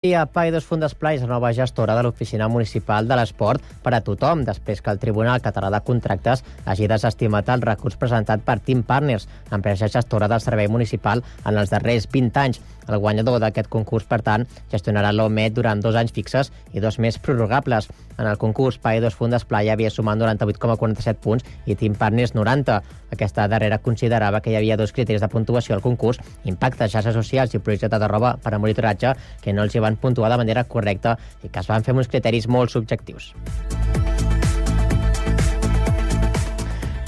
I a Paidós Fundesplai és la nova gestora de l'Oficina Municipal de l'Esport per a tothom, després que el Tribunal Català de Contractes hagi desestimat el recurs presentat per Team Partners, empresa gestora del servei municipal en els darrers 20 anys. El guanyador d'aquest concurs, per tant, gestionarà l'OMET durant 2 anys fixes i 2 més prorrogables. En el concurs, Paidós Fundesplai havia sumat 98,47 punts i Team Partners 90. Aquesta darrera considerava que hi havia 2 criteris de puntuació al concurs, impacte, xarxes socials i projecte de roba per a monitoratge, que no els hi van puntuar de manera correcta i que es van fer amb uns criteris molt subjectius.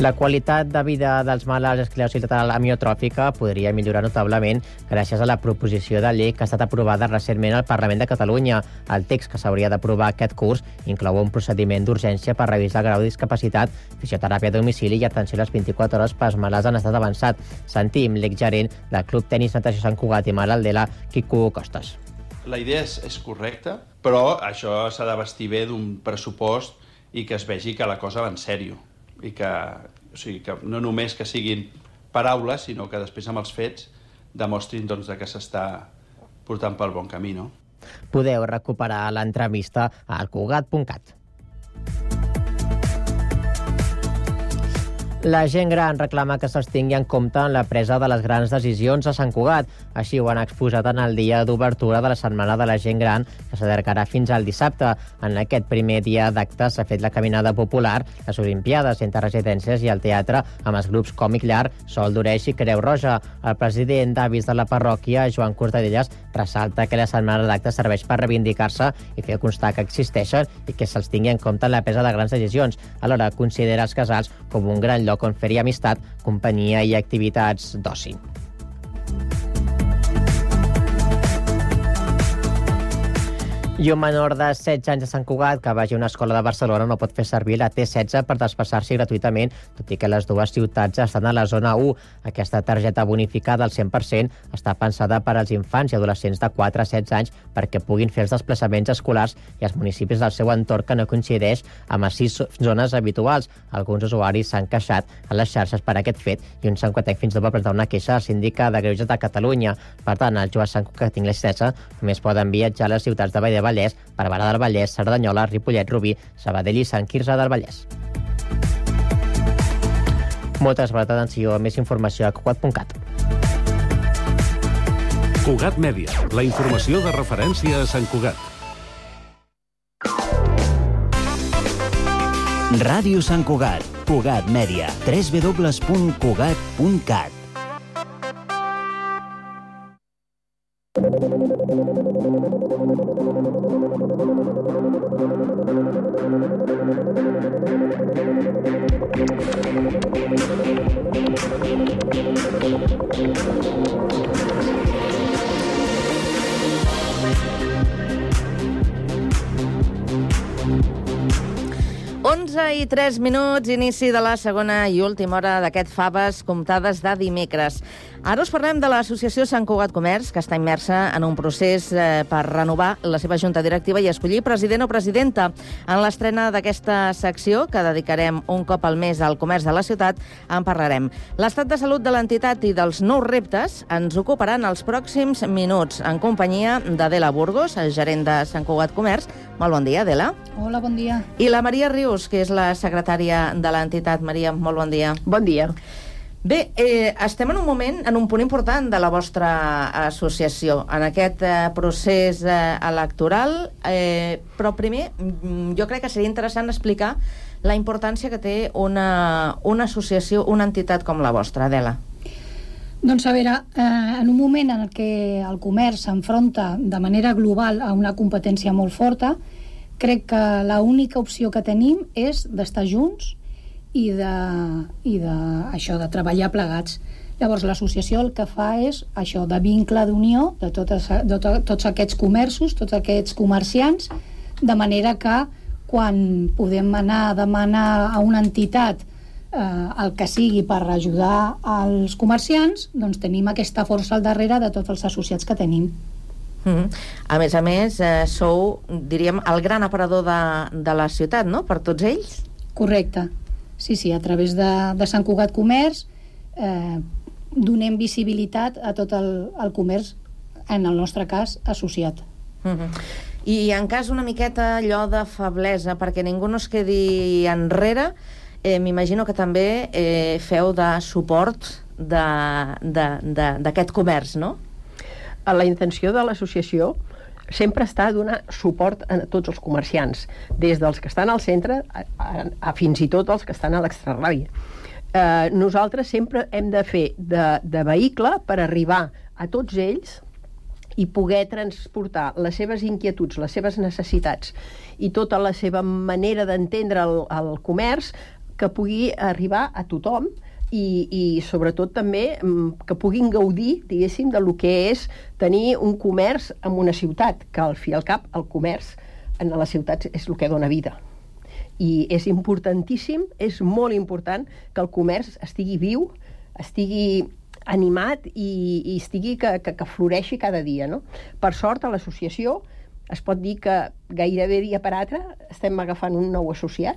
La qualitat de vida dels malalts d'esclerosi lateral amiotròfica podria millorar notablement gràcies a la proposició de llei que ha estat aprovada recentment al Parlament de Catalunya. El text que s'hauria d'aprovar aquest curs inclou un procediment d'urgència per revisar el grau de discapacitat, fisioteràpia a domicili i atenció a les 24 hores pels malalts en estat avançat. Sentim l'exgerent del Club Tenis Natació Sant Cugat i Malaldela, Quico Costas. La idea és correcta, però això s'ha de vestir bé d'un pressupost i que es vegi que la cosa va en sèrio. I que no només que siguin paraules, sinó que després amb els fets demostrin que s'està portant pel bon camí. No? Podeu recuperar l'entrevista a alcugat.cat. La gent gran reclama que se'ls tingui en compte en la presa de les grans decisions a Sant Cugat. Així ho han exposat en el dia d'obertura de la Setmana de la Gent Gran, que s'allargarà fins al dissabte. En aquest primer dia d'acte s'ha fet la caminada popular, les Olimpiades entre residències i el teatre, amb els grups Còmic Llar, Sol d'Oreix i Creu Roja. El president d'avis de la parròquia, Joan Cortadellas, ressalta que la setmana d'acte serveix per reivindicar-se i fer constar que existeixen i que se'ls tingui en compte en la presa de grans decisions. Alhora considera els casals com un gran lloc on fer-hi amistat, companyia i activitats d'oci. I un menor de 16 anys de Sant Cugat que vagi a una escola de Barcelona no pot fer servir la T16 per desplaçar-s'hi gratuïtament, tot i que les dues ciutats estan a la zona 1. Aquesta targeta bonificada al 100% està pensada per als infants i adolescents de 4 a 16 anys perquè puguin fer els desplaçaments escolars i els municipis del seu entorn que no coincideix amb les 6 zones habituals. Alguns usuaris s'han queixat a les xarxes per aquest fet i un santcugatenc fins i tot va presentar una queixa al síndic de Greuges de Catalunya. Per tant, els joves santcugatencs i les 16 només poden viatjar a les ciutats de Vall de Vallès, Barberà del Vallès, Cerdanyola, Ripollet, Rubí, Sabadell i Sant Quirze del Vallès. Moltes gràcies, atenció, més informació a cugat.cat. Cugat Mèdia, la informació de referència a Sant Cugat. Ràdio Sant Cugat, Cugat Mèdia, www.cugat.cat. I 3 minuts, inici de la segona i última hora d'aquest Faves comptades de dimecres. Ara us parlem de l'Associació Sant Cugat Comerç, que està immersa en un procés per renovar la seva junta directiva i escollir president o presidenta. En l'estrena d'aquesta secció, que dedicarem un cop al mes al comerç de la ciutat, en parlarem. L'estat de salut de l'entitat i dels nous reptes ens ocuparan els pròxims minuts, en companyia d'Adela Burgos, gerent de Sant Cugat Comerç. Molt bon dia, Adela. Hola, bon dia. I la Maria Rius, que és la secretària de l'entitat. Maria, molt bon dia. Bon dia. Bé, estem en un moment, en un punt important de la vostra associació, en aquest procés electoral, però primer jo crec que seria interessant explicar la importància que té una associació, una entitat com la vostra, Adela. Doncs a veure, en un moment en què el comerç s'enfronta de manera global a una competència molt forta, crec que l'única opció que tenim és d'estar junts i de treballar plegats. Llavors l'associació el que fa és això, de vincle d'unió de tots aquests comerços, tots aquests comerciants, de manera que quan podem anar a demanar a una entitat el que sigui per ajudar els comerciants, doncs tenim aquesta força al darrere de tots els associats que tenim. A més, sou, diríem, el gran aparador de la ciutat, no?, per tots ells? Correcte. Sí, a través de Sant Cugat Comerç donem visibilitat a tot el comerç, en el nostre cas, associat. I en cas una miqueta allò de feblesa, perquè ningú no es quedi enrere, m'imagino que també feu de suport d'aquest comerç, no? La intenció de l'associació sempre està a donar suport a tots els comerciants, des dels que estan al centre a fins i tot els que estan a l'extrarradi. Nosaltres sempre hem de fer de vehicle per arribar a tots ells i poder transportar les seves inquietuds, les seves necessitats i tota la seva manera d'entendre el comerç, que pugui arribar a tothom i sobretot també que puguin gaudir, diguéssim, de lo que és tenir un comerç en una ciutat, que al fi i al cap el comerç en les ciutats és el que dona vida. I és importantíssim, és molt important que el comerç estigui viu, estigui animat i estigui que floreixi cada dia, no? Per sort, a l'associació es pot dir que gairebé dia per altre estem agafant un nou associat,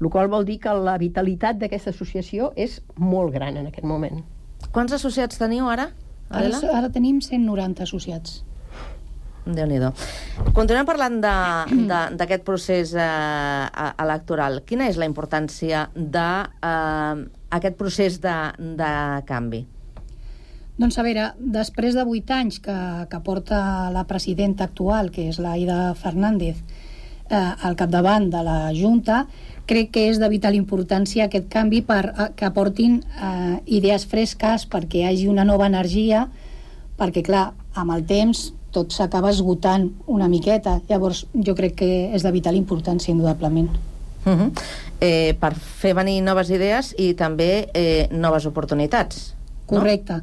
el qual vol dir que la vitalitat d'aquesta associació és molt gran en aquest moment. Quants associats teniu ara, Adela? Ara tenim 190 associats. Déu-n'hi-do. Continuem parlant d'aquest procés electoral. Quina és la importància d'aquest procés de canvi? Doncs a veure, després de 8 anys que porta la presidenta actual, que és l'Aida Fernández, al capdavant de la Junta, crec que és de vital importància aquest canvi que aportin idees fresques, perquè hi hagi una nova energia, perquè clar, amb el temps tot s'acaba esgotant una miqueta. Llavors jo crec que és de vital importància, indudablement. Per fer venir noves idees i també noves oportunitats. Correcte.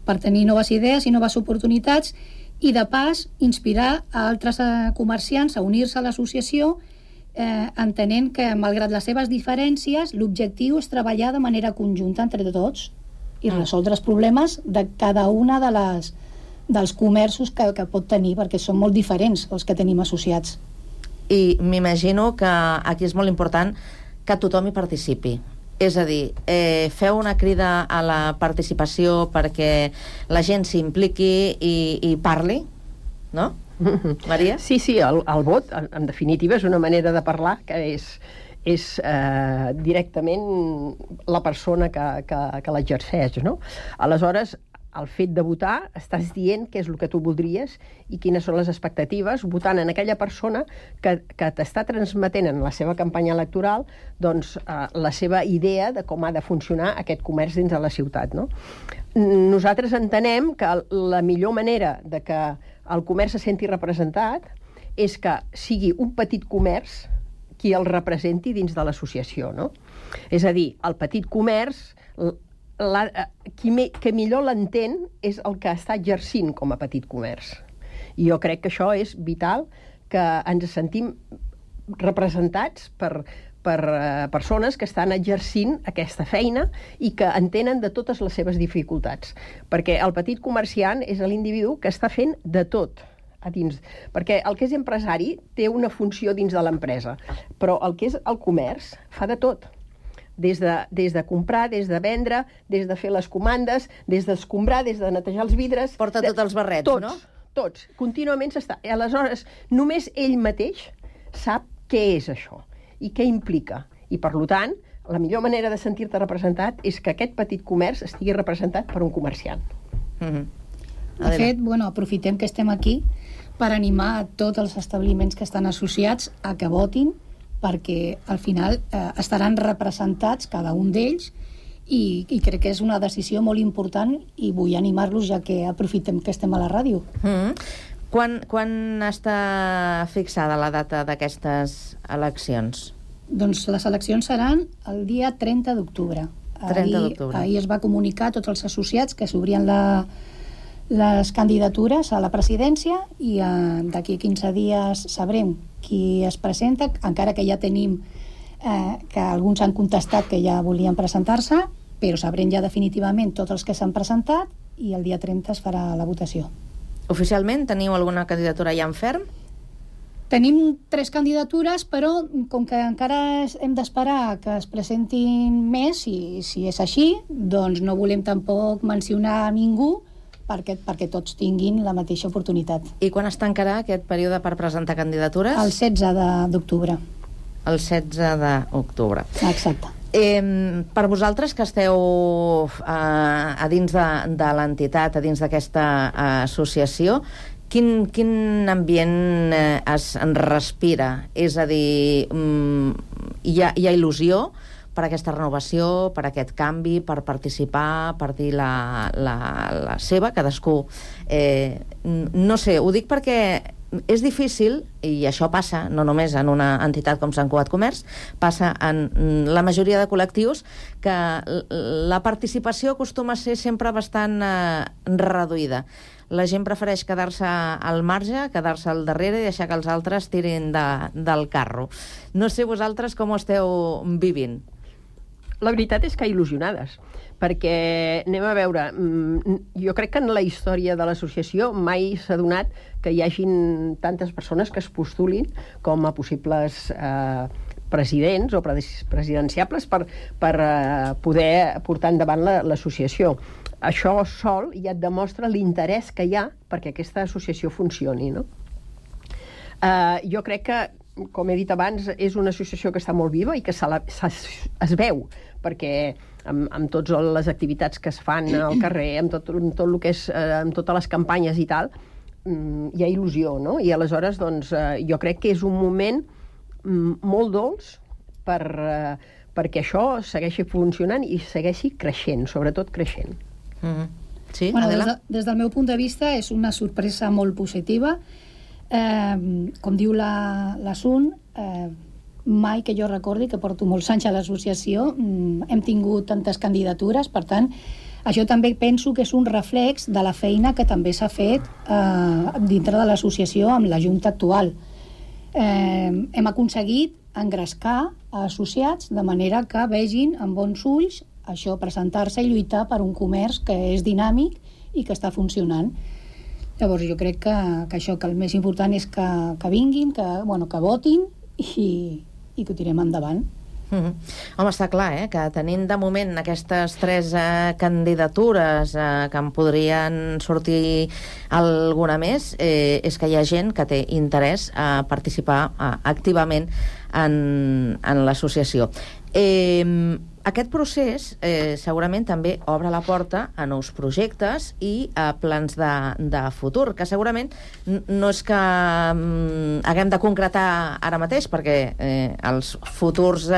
Per tenir noves idees i noves oportunitats i, de pas, inspirar a altres comerciants a unir-se a l'associació, entenent que, malgrat les seves diferències, l'objectiu és treballar de manera conjunta entre tots i resoldre els problemes de cada una dels comerços que pot tenir, perquè són molt diferents els que tenim associats. I m'imagino que aquí és molt important que tothom hi participi. És a dir, feu una crida a la participació perquè la gent s'impliqui i parli, no? Maria? Sí, el vot, en definitiva, és una manera de parlar que és directament la persona que l'exerceix, no? Aleshores, el fet de votar, estàs dient què és el que tu voldries i quines són les expectatives, votant en aquella persona que t'està transmetent en la seva campanya electoral doncs, la seva idea de com ha de funcionar aquest comerç dins de la ciutat, no? Nosaltres entenem que la millor manera de que el comerç se senti representat és que sigui un petit comerç qui el representi dins de l'associació, no? És a dir, el petit comerç, que millor l'entén és el que està exercint com a petit comerç. I jo crec que això és vital, que ens sentim representats per persones que estan exercint aquesta feina i que entenen de totes les seves dificultats. Perquè el petit comerciant és l'individu que està fent de tot a dins. Perquè el que és empresari té una funció dins de l'empresa, però el que és el comerç fa de tot. Des de comprar, des de vendre, des de fer les comandes, des d'escombrar, des de netejar els vidres... Porta tots els barrets, no? Tots. Contínuament s'està... Aleshores, només ell mateix sap què és això i què implica. I, per tant, la millor manera de sentir-te representat és que aquest petit comerç estigui representat per un comerciant. De fet, aprofitem que estem aquí per animar a tots els establiments que estan associats a que votin, perquè al final estaran representats cada un d'ells i crec que és una decisió molt important i vull animar-los, ja que aprofitem que estem a la ràdio. Quan està fixada la data d'aquestes eleccions? Doncs les eleccions seran el dia 30 d'octubre. 30 d'octubre. Ahir es va comunicar a tots els associats que s'obrien les candidatures a la presidència i d'aquí 15 dies sabrem qui es presenta, encara que ja tenim que alguns han contestat que ja volien presentar-se, però sabrem ja definitivament tots els que s'han presentat i el dia 30 es farà la votació. Oficialment teniu alguna candidatura ja en ferm? Tenim 3 candidatures, però com que encara hem d'esperar que es presentin més, si és així, doncs no volem tampoc mencionar a ningú perquè tots tinguin la mateixa oportunitat. I quan es tancarà aquest període per presentar candidatures? El 16 d'octubre. El 16 d'octubre. Exacte. Per vosaltres que esteu a dins de l'entitat, a dins d'aquesta associació, quin ambient es respira? És a dir, hi ha il·lusió per aquesta renovació, per aquest canvi, per participar, per dir la seva, cadascú. No sé, ho dic perquè és difícil, i això passa no només en una entitat com Sant Cugat Comerç, passa en la majoria de col·lectius, que la participació acostuma a ser sempre bastant reduïda. La gent prefereix quedar-se al marge, quedar-se al darrere i deixar que els altres tirin del carro. No sé vosaltres com ho esteu vivint. La veritat és que il·lusionades, perquè anem a veure, jo crec que en la història de l'associació mai s'ha donat que hi hagin tantes persones que es postulin com a possibles presidents o presidenciables per poder portar endavant l'associació. Això sol ja et demostra l'interès que hi ha perquè aquesta associació funcioni, no? Jo crec que, com he dit abans, és una associació que està molt viva i que es veu, perquè amb totes les activitats que es fan al carrer, amb tot el que és, amb totes les campanyes i tal, hi ha il·lusió, no? I aleshores, doncs, jo crec que és un moment molt dolç perquè això segueixi funcionant i segueixi creixent, sobretot creixent. Sí, bueno, Adela? des del meu punt de vista és una sorpresa molt positiva. Com diu la Sun, mai que jo recordi, que porto molts anys a l'associació, hem tingut tantes candidatures. Per tant, això també penso que és un reflex de la feina que també s'ha fet dintre de l'associació amb la Junta actual. Hem aconseguit engrescar associats de manera que vegin amb bons ulls això, presentar-se i lluitar per un comerç que és dinàmic i que està funcionant. Llavors jo crec que això, que el més important és que vinguin, que votin i que ho tirem endavant. Home, està clar, que tenint de moment aquestes 3 candidatures que en podrien sortir alguna més, és que hi ha gent que té interès a participar activament en l'associació. Aquest procés segurament també obre la porta a nous projectes i a plans de futur, que segurament no és que haguem de concretar ara mateix, perquè els futurs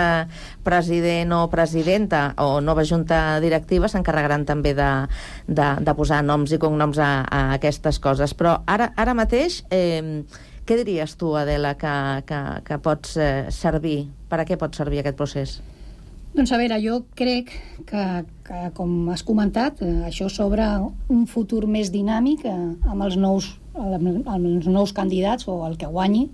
president o presidenta o nova junta directiva s'encarregaran també de posar noms i cognoms a aquestes coses. Però ara mateix, què diries tu, Adela, que pots servir? Per a què pot servir aquest procés? Doncs a veure, jo crec que com has comentat, això s'obre un futur més dinàmic amb els nous candidats o el que guanyi,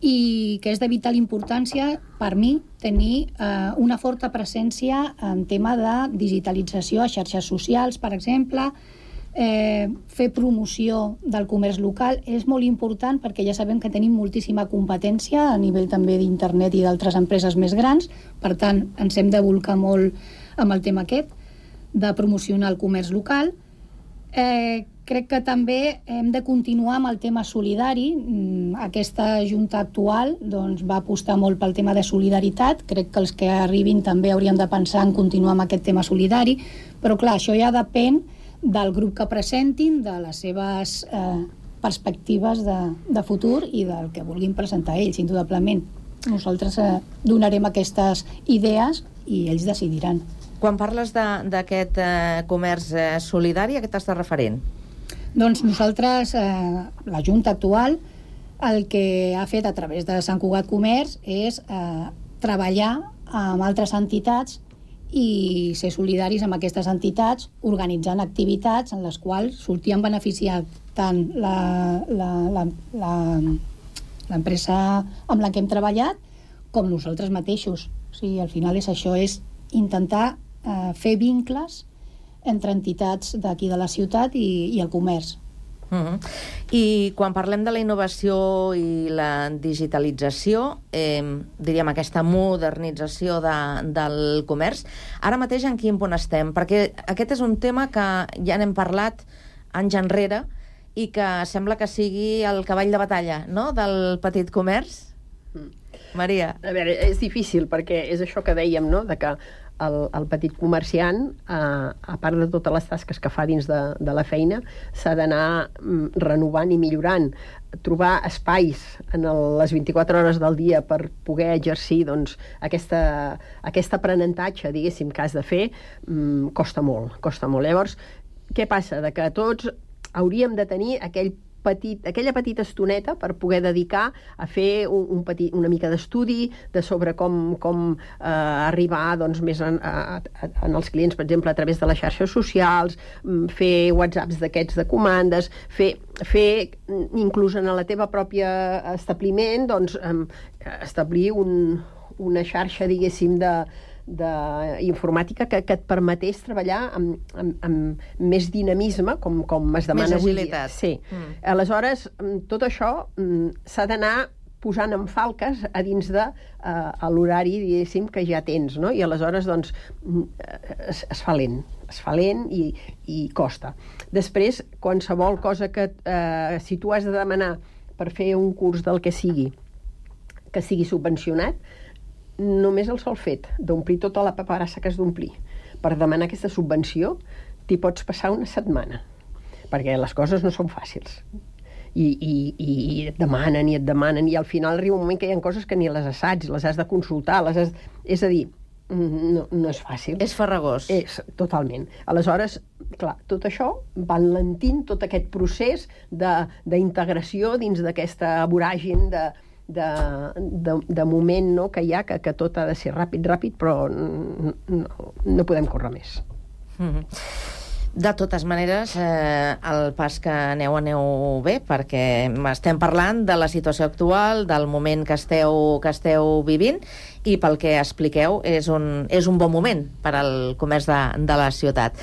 i que és de vital importància per mi tenir una forta presència en tema de digitalització a xarxes socials, per exemple. Fer promoció del comerç local és molt important, perquè ja sabem que tenim moltíssima competència a nivell també d'internet i d'altres empreses més grans. Per tant, ens hem de volcar molt amb el tema aquest de promocionar el comerç local. Crec que també hem de continuar amb el tema solidari. Aquesta junta actual va apostar molt pel tema de solidaritat. Crec que els que arribin també haurien de pensar en continuar amb aquest tema solidari, però clar, això ja depèn del grup que presentin, de les seves perspectives de futur i del que vulguin presentar ells, indudablement. Nosaltres donarem aquestes idees i ells decidiran. Quan parles d'aquest comerç solidari, a què t'estàs referint? Doncs nosaltres, la Junta actual, el que ha fet a través de Sant Cugat Comerç és treballar amb altres entitats i ser solidaris amb aquestes entitats, organitzant activitats en les quals sortien beneficiat tant l'empresa amb la que hem treballat com nosaltres mateixos. O sigui, al final és això, és intentar fer vincles entre entitats d'aquí de la ciutat i el comerç. I quan parlem de la innovació i la digitalització, diríem aquesta modernització del comerç, ara mateix en quin punt estem? Perquè aquest és un tema que ja n'hem parlat anys enrere i que sembla que sigui el cavall de batalla, no?, del petit comerç. Maria. A veure, és difícil, perquè és això que dèiem, no?, de que el petit comerciant, a part de totes les tasques que fa dins de la feina, s'ha d'anar renovant i millorant, trobar espais en les 24 hores del dia per poder exercir doncs, aquest aprenentatge, diguéssim, que has de fer, costa molt. Llavors, què passa? De que tots hauríem de tenir aquella petita estoneta per poder dedicar a fer una mica d'estudi sobre com arribar doncs, més en els clients, per exemple, a través de les xarxes socials, fer whatsapps d'aquests de comandes, fer inclús en la teva pròpia establiment, doncs, establir una xarxa, diguéssim, d'informàtica que et permetés treballar amb més dinamisme, com es demana avui dia. Sí. Aleshores, tot això s'ha d'anar posant en falques a dins de l'horari, diguéssim, que ja tens, no? I aleshores, doncs, es fa lent i costa. Després, qualsevol cosa que, si tu has de demanar per fer un curs del que sigui subvencionat, només el sol fet d'omplir tota la paperassa que has d'omplir per demanar aquesta subvenció, t'hi pots passar una setmana, perquè les coses no són fàcils. I et demanen, i al final arriba un moment que hi ha coses que ni les assaig, les has de consultar, és a dir, no és fàcil. És farragós. Totalment. Aleshores, clar, tot això va enlentint tot aquest procés d'integració dins d'aquesta voràgine de moment, no?, que hi ha, que tot ha de ser ràpid, però no podem córrer més. De totes maneres, el pas que aneu bé, perquè estem parlant de la situació actual, del moment que esteu vivint, i pel que expliqueu és un bon moment per al comerç de la ciutat.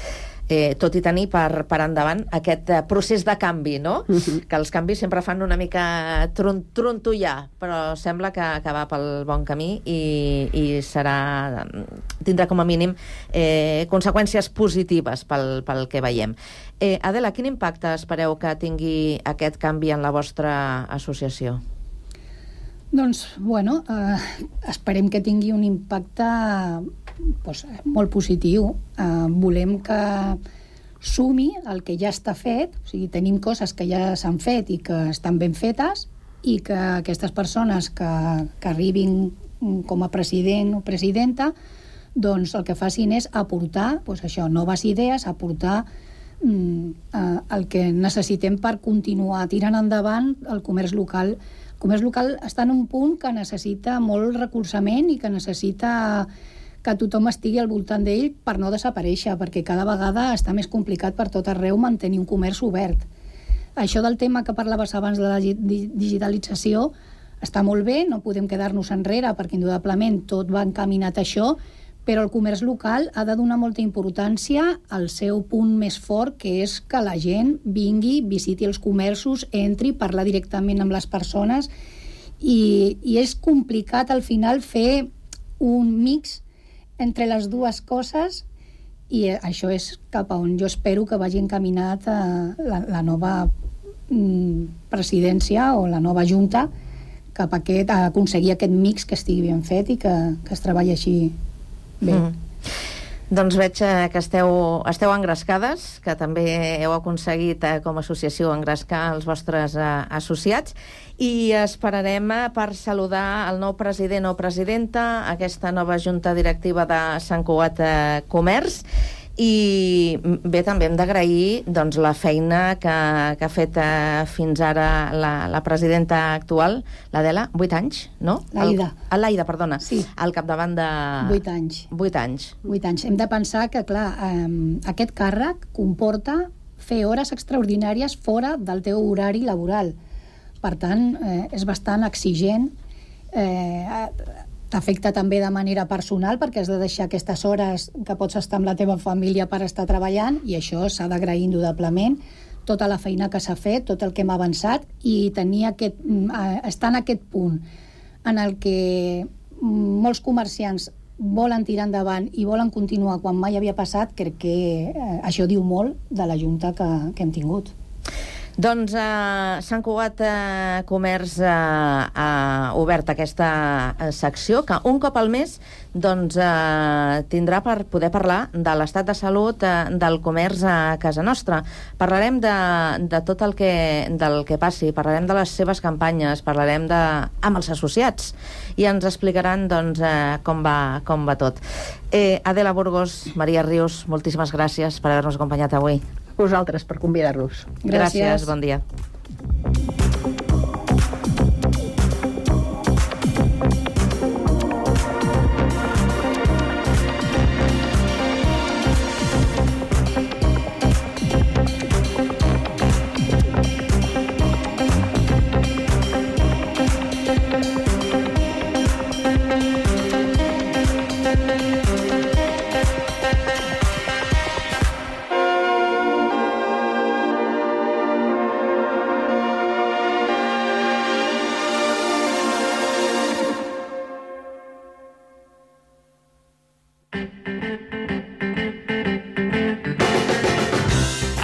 Tot i tenir per endavant aquest procés de canvi, no? Que els canvis sempre fan una mica trontollar, però sembla que va pel bon camí i tindrà com a mínim conseqüències positives pel que veiem. Adela, quin impacte espereu que tingui aquest canvi en la vostra associació? Doncs, bueno, esperem que tingui un impacte molt positiu. Volem que sumi el que ja està fet, o sigui, tenim coses que ja s'han fet i que estan ben fetes, i que aquestes persones que arribin com a president o presidenta, doncs el que facin és aportar noves idees, aportar el que necessitem per continuar tirant endavant el comerç local. El comerç local està en un punt que necessita molt recolzament i que necessita que tothom estigui al voltant d'ell per no desaparèixer, perquè cada vegada està més complicat per tot arreu mantenir un comerç obert. Això del tema que parlaves abans de la digitalització està molt bé, no podem quedar-nos enrere perquè indudablement tot va encaminat a això, però el comerç local ha de donar molta importància al seu punt més fort, que és que la gent vingui, visiti els comerços, entri, parlar directament amb les persones, i és complicat al final fer un mix entre les dues coses, i això és cap a on jo espero que vagi encaminat la nova presidència o la nova junta, cap a aconseguir aquest mix que estigui ben fet i que es treballi així bé. Doncs veig que esteu engrescades, que també heu aconseguit com a associació engrescar els vostres associats, i esperarem per saludar el nou president o presidenta, aquesta nova junta directiva de Sant Cugat Comerç, i bé, també hem d'agrair doncs, la feina que ha fet fins ara la presidenta actual, l'Adela, 8 anys, no? L'Aida, perdona, sí. Al capdavant de... 8 anys. 8 anys. 8 anys. Hem de pensar que, clar, aquest càrrec comporta fer hores extraordinàries fora del teu horari laboral. Per tant, és bastant exigent, t'afecta també de manera personal perquè has de deixar aquestes hores que pots estar amb la teva família per estar treballant, i això s'ha d'agrair indudablement, tota la feina que s'ha fet, tot el que hem avançat, i estar en aquest punt en el que molts comerciants volen tirar endavant i volen continuar quan mai havia passat, crec que això diu molt de la Junta que hem tingut. Doncs Sant Cugat Comerç ha obert aquesta secció que un cop al mes tindrà per poder parlar de l'estat de salut del comerç a casa nostra. Parlarem de tot el que passi, parlarem de les seves campanyes, parlarem amb els associats i ens explicaran com va tot. Adela Burgos, Maria Rius, moltíssimes gràcies per haver-nos acompanyat avui. Vosaltres per convidar-nos. Gràcies, bon dia.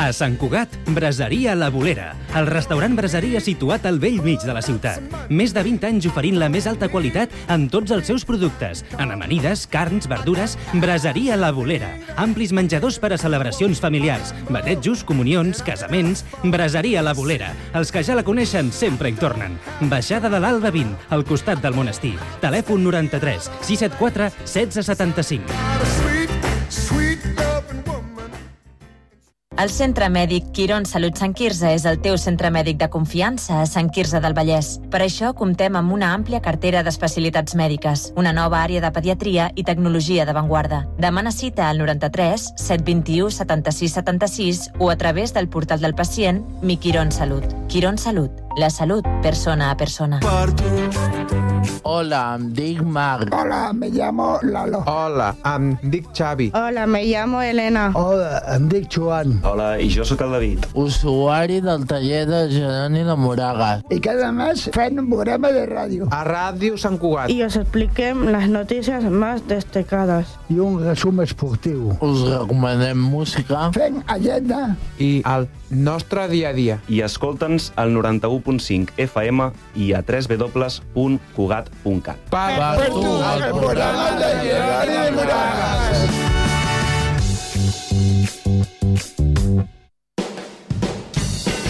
A Sant Cugat, Braseria La Bolera, el restaurant braseria situat al bell mig de la ciutat. Més de 20 anys oferint la més alta qualitat en tots els seus productes. En amanides, carns, verdures, Braseria La Bolera. Amplis menjadors per a celebracions familiars, batejos, comunions, casaments... Braseria La Bolera. Els que ja la coneixen sempre hi tornen. Baixada de l'Alba 20, al costat del monestir. Telèfon 93 674 1675. El Centre Mèdic Quirón Salut Sant Quirze és el teu centre mèdic de confiança a Sant Quirze del Vallès. Per això comptem amb una àmplia cartera d'especialitats mèdiques, una nova àrea de pediatria i tecnologia d'avantguarda. Demana cita al 93 721 76 76 o a través del portal del pacient Mi Quirón Salut. Quirón Salut, la salut persona a persona. Hola, em dic Marc. Hola, me llamo Lalo. Hola, em dic Xavi. Hola, me llamo Elena. Hola, em dic Joan. Hola, i jo sóc el David. Usuari del taller de Geroni de Moragas. Y cada mes fem un programa de ràdio. A Ràdio Sant Cugat. Y os expliquem las noticias más destacadas. I un resum esportiu. Us recomanem música. Fem agenda. I el nostre dia a dia. I escolta'ns al 91.5 FM i a www.cugat.cat. Per tu, el programa de Geroni de Moragas.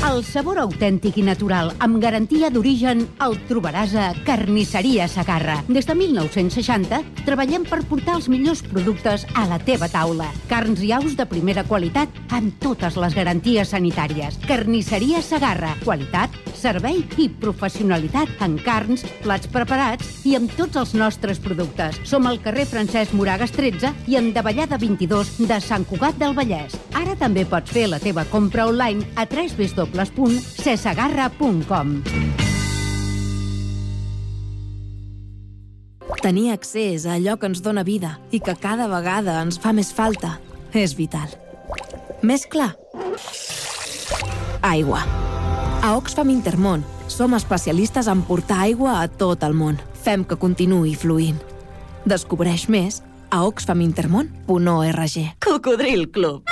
El sabor autèntic i natural, amb garantia d'origen, el trobaràs a Carnisseria Segarra. Des de 1960 treballem per portar els millors productes a la teva taula. Carns i aus de primera qualitat amb totes les garanties sanitàries. Carnisseria Segarra. Qualitat, servei i professionalitat en carns, plats preparats i amb tots els nostres productes. Som al carrer Francesc Moragas 13 i en Davallada 22 de Sant Cugat del Vallès. Ara també pots fer la teva compra online a www.cesegarra.com. Tenir accés a allò que ens dóna vida i que cada vegada ens fa més falta és vital. Més clar? Aigua. A Oxfam Intermón som especialistes en portar aigua a tot el món. Fem que continuï fluint. Descobreix més a oxfamintermon.org. Cocodril Club.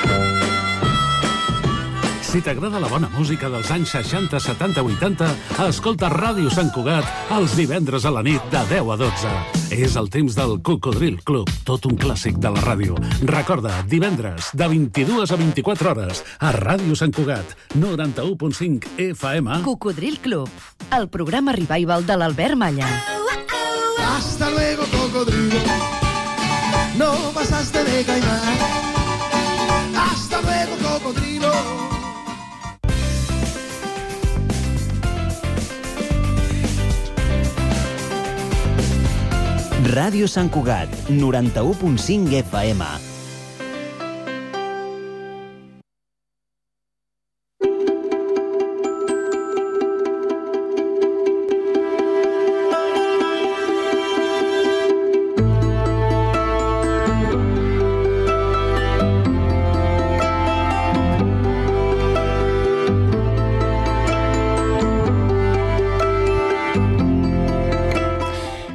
Si t'agrada la bona música dels anys 60, 70, 80, escolta Ràdio Sant Cugat els divendres a la nit de 10 a 12. És el temps del Cocodril Club, tot un clàssic de la ràdio. Recorda, divendres, de 22 a 24 hores, a Ràdio Sant Cugat, 91.5 FM. Cocodril Club, el programa revival de l'Albert Malla. Hasta luego, cocodrilo. No pasaste de caimán. Hasta luego, cocodrilo. Ràdio Sant Cugat, 91.5 FM.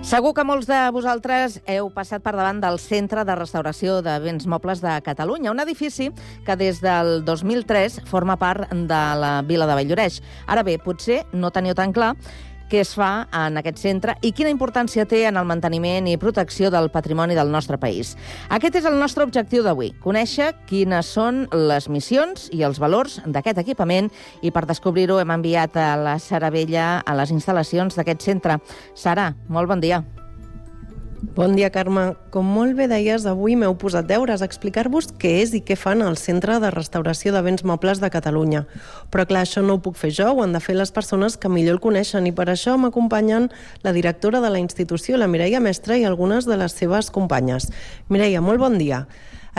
Segur que molts de vosaltres heu passat per davant del Centre de Restauració de Béns Mobles de Catalunya, un edifici que des del 2003 forma part de la vila de Valldoreix. Ara bé, potser no teniu tan clar què es fa en aquest centre i quina importància té en el manteniment i protecció del patrimoni del nostre país. Aquest és el nostre objectiu d'avui, conèixer quines són les missions i els valors d'aquest equipament, i per descobrir-ho hem enviat a la Sara Vella a les instal·lacions d'aquest centre. Sara, molt bon dia. Bon dia, Carme. Com molt bé deies, avui m'heu posat deures a explicar-vos què és i què fan al Centre de Restauració de Béns Mobles de Catalunya. Però clar, això no ho puc fer jo, ho han de fer les persones que millor el coneixen, i per això m'acompanyen la directora de la institució, la Mireia Mestre, i algunes de les seves companyes. Mireia, molt bon dia.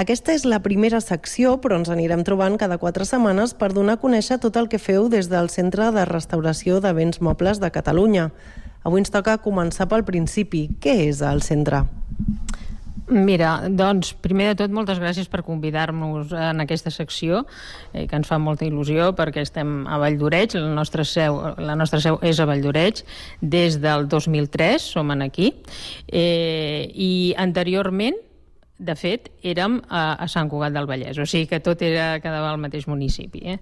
Aquesta és la primera secció, però ens anirem trobant cada 4 setmanes per donar a conèixer tot el que feu des del Centre de Restauració de Béns Mobles de Catalunya. Avui ens toca començar pel principi. Què és el centre? Mira, doncs, primer de tot, moltes gràcies per convidar-nos en aquesta secció, que ens fa molta il·lusió, perquè estem a Valldoreix, la nostra seu és a Valldoreix, des del 2003 som aquí, i anteriorment, de fet, érem a Sant Cugat del Vallès, o sigui que tot quedava al mateix municipi.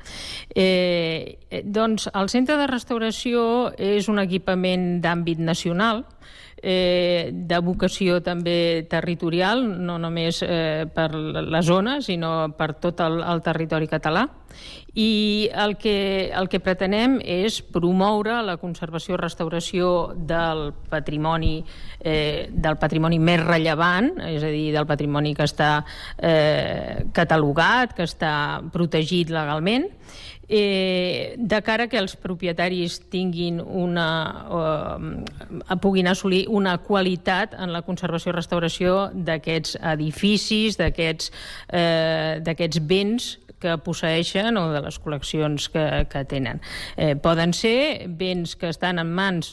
Doncs el Centre de Restauració és un equipament d'àmbit nacional, de vocació també territorial, no només per la zona, sinó per tot el territori català. I el que pretenem és promoure la conservació i restauració del patrimoni més rellevant, és a dir, del patrimoni que està catalogat, que està protegit legalment, de cara que els propietaris puguin assolir una qualitat en la conservació i restauració d'aquests edificis, d'aquests béns que posseeixen o de les col·leccions que tenen. Poden ser béns que estan en mans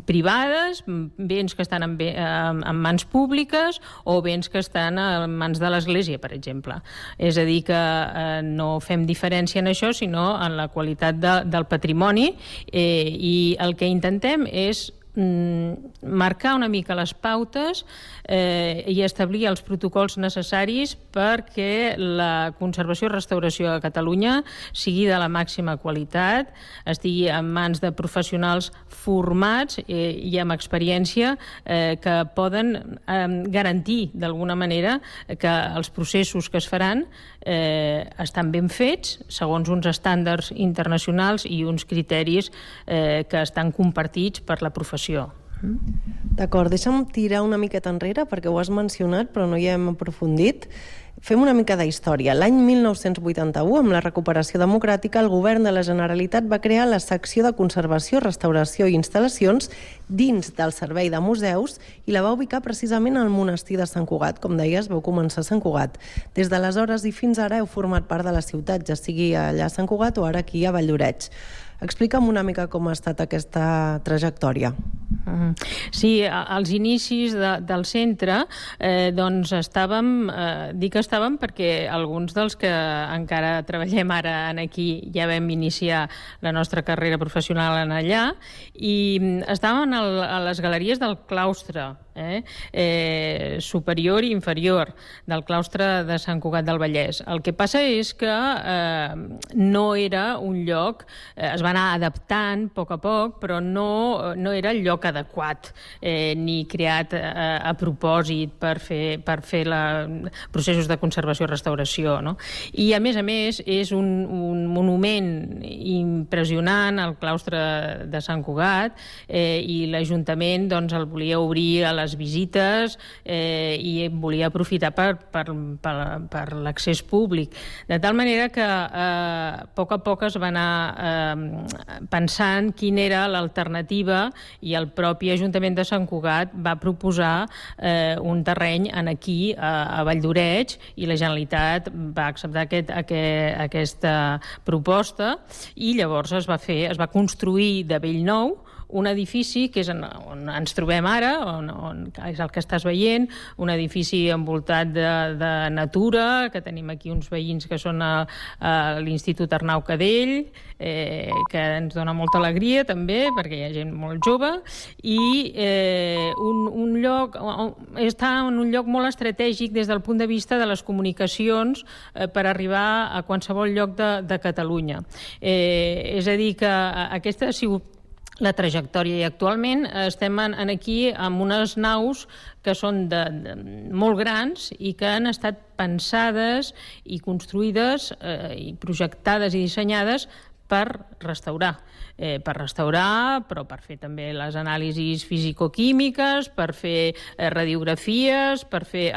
privades, béns que estan en mans públiques o béns que estan en mans de l'Església, per exemple. És a dir, que no fem diferència en això, sinó en la qualitat del patrimoni, i el que intentem és marcar una mica les pautes i establir els protocols necessaris perquè la conservació i restauració a Catalunya sigui de la màxima qualitat, estigui en mans de professionals formats i amb experiència que poden garantir d'alguna manera que els processos que es faran estan ben fets segons uns estàndards internacionals i uns criteris que estan compartits per la professió. D'acord, deixa'm tirar una miqueta enrere perquè ho has mencionat però no hi hem aprofundit. Fem una mica de història. L'any 1981, amb la recuperació democràtica, el govern de la Generalitat va crear la secció de conservació, restauració i instal·lacions dins del servei de museus i la va ubicar precisament al monestir de Sant Cugat. Com deies, vau començar a Sant Cugat. Des d'aleshores i fins ara heu format part de la ciutat, ja sigui allà a Sant Cugat o ara aquí a Valldoreix. Explica'm una mica com ha estat aquesta trajectòria. Sí, als inicis del centre doncs dic estàvem perquè alguns dels que encara treballem ara aquí ja vam iniciar la nostra carrera professional en allà i estàvem a les galeries del claustre superior i inferior del claustre de Sant Cugat del Vallès. El que passa és que no era un lloc, es va anar adaptant a poc, però no era el lloc adequat ni creat a propòsit per fer processos de conservació i restauració. I a més, és un monument impressionant, el claustre de Sant Cugat, i l'Ajuntament el volia obrir a les visites i volia aprofitar per l'accés públic. De tal manera que a poc es va anar pensant quina era l'alternativa i el propi Ajuntament de Sant Cugat va proposar un terreny aquí a Valldoreix i la Generalitat va acceptar aquesta proposta i llavors es va construir de bell nou un edifici que és on ens trobem ara, on és el que estàs veient, un edifici envoltat de natura, que tenim aquí uns veïns que són a l'Institut Arnau Cadell, que ens dona molta alegria també, perquè hi ha gent molt jove, i un lloc, està en un lloc molt estratègic des del punt de vista de les comunicacions per arribar a qualsevol lloc de Catalunya. És a dir, que aquesta ha sigut la trajectòria i actualment estem aquí amb unes naus que són molt grans i que han estat pensades i construïdes i projectades i dissenyades per restaurar, però per fer també les anàlisis fisicoquímiques, per fer radiografies, per fer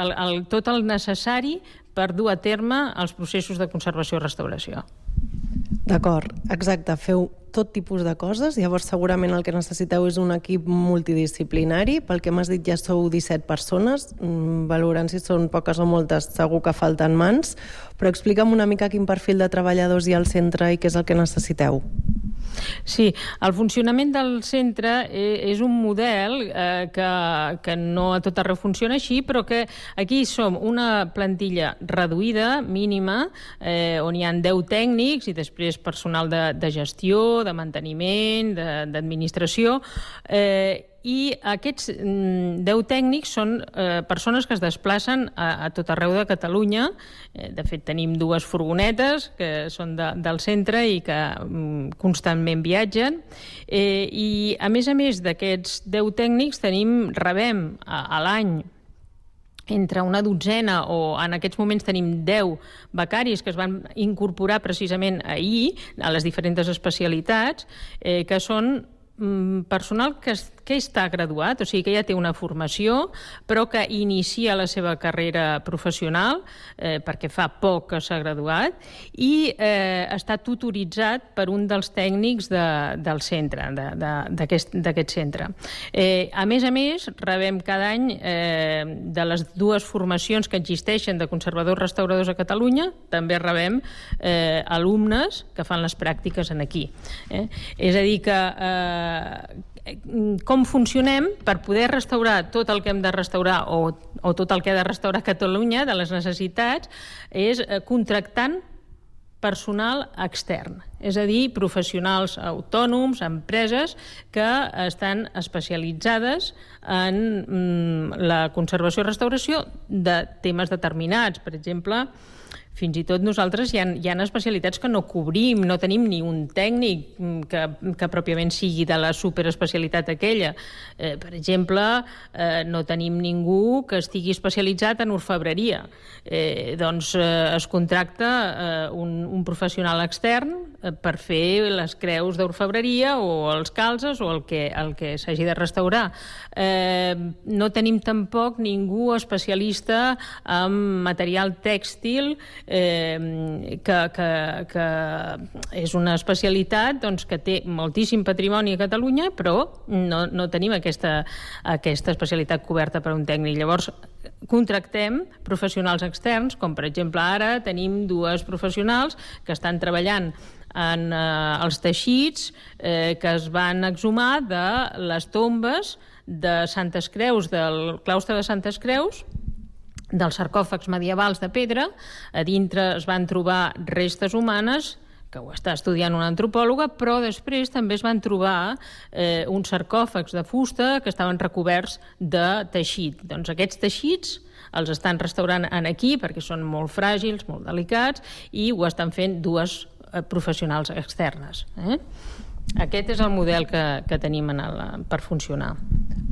tot el necessari per dur a terme els processos de conservació i restauració. D'acord, exacte. Feu tot tipus de coses, llavors segurament el que necessiteu és un equip multidisciplinari. Pel que m'has dit ja sou 17 persones, valorant si són poques o moltes, segur que falten mans, però explica'm una mica quin perfil de treballadors hi ha al centre i què és el que necessiteu. Sí, el funcionament del centre és un model que no a tot arreu funciona així, però que aquí som una plantilla reduïda, mínima, on hi ha 10 tècnics i després personal de gestió, de manteniment, d'administració, i aquests 10 tècnics són persones que es desplacen a tot arreu de Catalunya. De fet, tenim 2 furgonetes que són del centre i que constantment viatgen. I, a més d'aquests 10 tècnics, rebem a l'any entre una dotzena, o en aquests moments tenim 10 becaris que es van incorporar precisament ahir a les diferents especialitats, que són personal que està graduat, o sigui que ja té una formació, però que inicia la seva carrera professional, perquè fa poc que s'ha graduat, i està tutoritzat per un dels tècnics del centre, d'aquest centre. A més, rebem cada any de les 2 formacions que existeixen de conservadors restauradors a Catalunya, també rebem alumnes que fan les pràctiques aquí. És a dir que com funcionem per poder restaurar tot el que hem de restaurar o tot el que ha de restaurar Catalunya de les necessitats és contractant personal extern, és a dir, professionals autònoms, empreses que estan especialitzades en la conservació i restauració de temes determinats. Per exemple, fins i tot nosaltres hi ha especialitats que no cobrim, no tenim ni un tècnic que pròpiament sigui de la superespecialitat aquella. Per exemple, no tenim ningú que estigui especialitzat en orfebreria. Doncs es contracta un professional extern per fer les creus d'orfebreria o els calzes o el que s'hagi de restaurar. No tenim tampoc ningú especialista en material tèxtil, que és una especialitat que té moltíssim patrimoni a Catalunya, però no tenim aquesta especialitat coberta per un tècnic. Llavors, contractem professionals externs, com per exemple ara tenim 2 professionals que estan treballant en els teixits que es van exhumar de les tombes de Santes Creus, del claustre de Santes Creus, dels sarcòfags medievals de pedra. A dintre es van trobar restes humanes, que ho està estudiant una antropòloga, però després també es van trobar uns sarcòfags de fusta que estaven recoberts de teixit. Doncs aquests teixits els estan restaurant aquí perquè són molt fràgils, molt delicats, i ho estan fent 2 professionals externes. Aquest és el model que tenim per funcionar.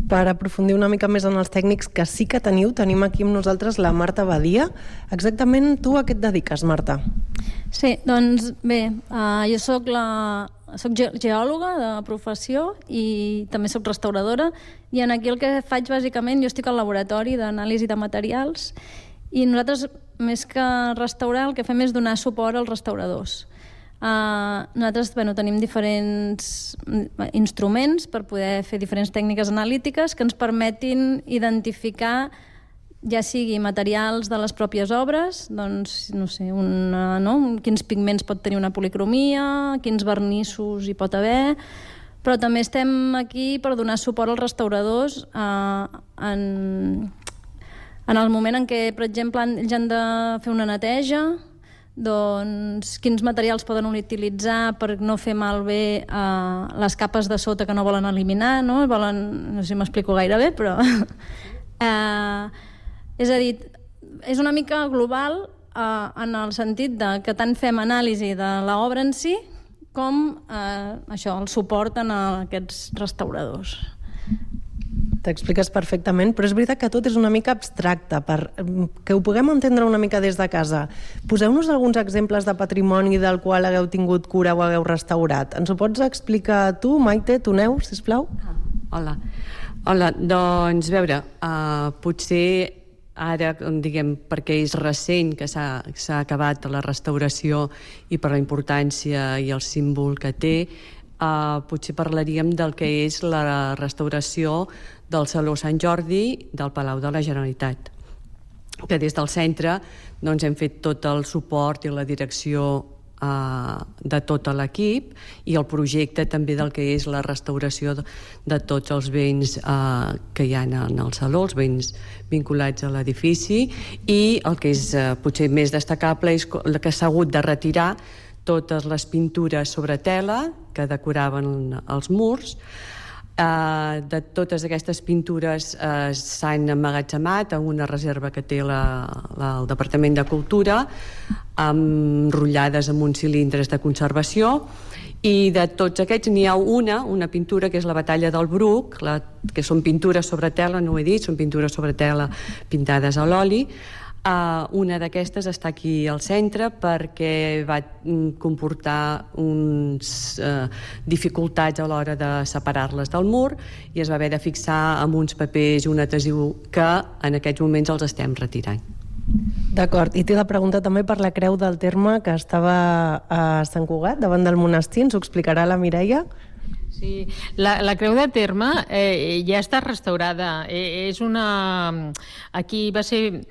Per aprofundir una mica més en els tècnics que sí que teniu, tenim aquí amb nosaltres la Marta Badia. Exactament tu a què et dediques, Marta? Sí, doncs bé, jo soc geòloga de professió i també soc restauradora, i aquí el que faig bàsicament, jo estic al laboratori d'anàlisi de materials, i nosaltres, més que restaurar, el que fem és donar suport als restauradors. Nosaltres tenim diferents instruments per poder fer diferents tècniques analítiques que ens permetin identificar, ja sigui materials de les pròpies obres, doncs, no sé, quins pigments pot tenir una policromia, quins vernissos hi pot haver, Però també estem aquí per donar suport als restauradors en el moment en què, per exemple, ells han de fer una neteja, doncs quins materials poden utilitzar per no fer malbé les capes de sota que no volen eliminar, no? No sé si m'explico gaire bé, però... és a dir, és una mica global en el sentit que tant fem anàlisi de l'obra en si com això, el suport a aquests restauradors. T'expliques perfectament, però és veritat que tot és una mica abstracte, per que ho puguem entendre una mica des de casa. Poseu-nos alguns exemples de patrimoni del qual hagueu tingut cura o hagueu restaurat. Ens ho pots explicar tu, Maite, tu, Neus, sisplau? Hola, doncs, a veure, potser ara, diguem, perquè és recent que s'ha acabat la restauració i per la importància i el símbol que té, potser parlaríem del que és la restauració del Saló Sant Jordi del Palau de la Generalitat, que des del centre hem fet tot el suport i la direcció de tot l'equip i el projecte també del que és la restauració de tots els béns que hi ha en el Saló, els béns vinculats a l'edifici, i el que és potser més destacable és que s'ha hagut de retirar totes les pintures sobre tela que decoraven els murs. De totes aquestes pintures s'han emmagatzemat en una reserva que té el Departament de Cultura, enrotllades en uns cilindres de conservació, i de tots aquests n'hi ha una pintura que és la Batalla del Bruc, que són pintures sobre tela, no ho he dit, són pintures sobre tela pintades a l'oli. Una d'aquestes està aquí al centre perquè va comportar uns dificultats a l'hora de separar-les del mur i es va haver de fixar amb uns papers i un adhesiu que en aquests moments els estem retirant. D'acord, i t'he de preguntar també per la Creu del Terme que estava a Sant Cugat, davant del monestir, ens ho explicarà la Mireia? Sí, la Creu de Terme ja està restaurada. Aquí va ser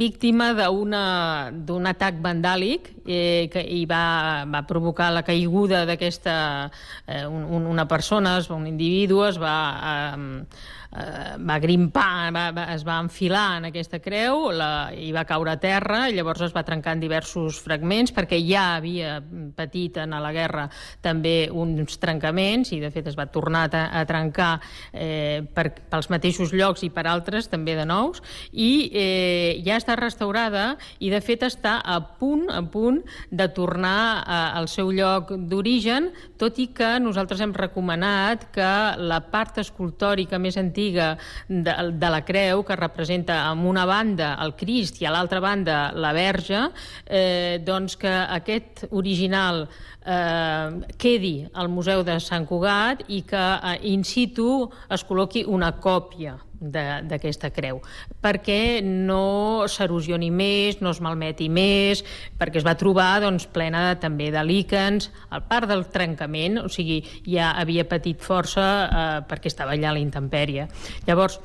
víctima d'un atac vandàlic i va provocar la caiguda d'aquesta... Una persona, un individu, es va grimpar, es va enfilar en aquesta creu i va caure a terra, i llavors es va trencar en diversos fragments perquè ja havia patit en la guerra també uns trencaments i de fet es va tornar a trencar pels mateixos llocs i per altres també de nous, i ja està restaurada i de fet està a punt de tornar al seu lloc d'origen, tot i que nosaltres hem recomanat que la part escultòrica més antiga de la creu, que representa amb una banda el Crist i a l'altra banda la Verge, doncs que aquest original quedi al Museu de Sant Cugat i que in situ es col·loqui una còpia d'aquesta creu, perquè no s'erosioni més, no es malmeti més, perquè es va trobar plena també de líquens, a part del trencament, o sigui, ja havia patit força perquè estava allà a la intempèrie. Llavors,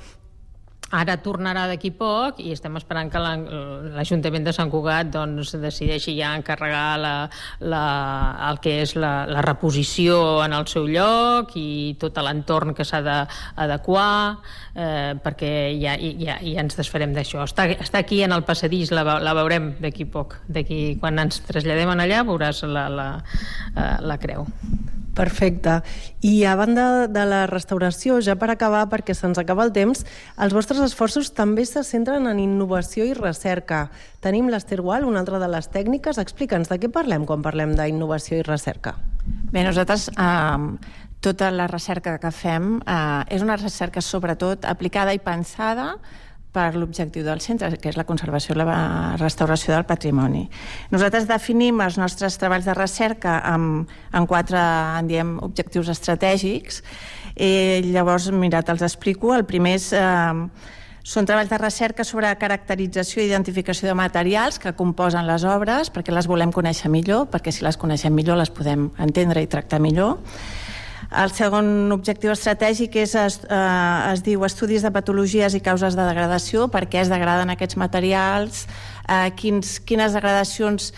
ara tornarà d'aquí poc i estem esperant que l'Ajuntament de Sant Cugat decideixi ja encarregar el que és la reposició en el seu lloc i tot l'entorn que s'ha d'adequar, perquè ja ens desfarem d'això. Està aquí en el passadís, la veurem d'aquí poc. Quan ens traslladem allà veuràs la creu. Perfecte. I a banda de la restauració, ja per acabar, perquè se'ns acaba el temps, els vostres esforços també se centren en innovació i recerca. Tenim l'Ester Gual, una altra de les tècniques. Explica'ns, de què parlem quan parlem d'innovació i recerca? Bé, nosaltres tota la recerca que fem és una recerca sobretot aplicada i pensada per l'objectiu del centre, que és la conservació i la restauració del patrimoni. Nosaltres definim els nostres treballs de recerca en 4 objectius estratègics. Llavors, mira, te'ls explico. El primer són treballs de recerca sobre caracterització i identificació de materials que composen les obres, perquè les volem conèixer millor, perquè si les coneixem millor les podem entendre i tractar millor. El segon objectiu estratègic es diu estudis de patologies i causes de degradació, per què es degraden aquests materials, quines degradacions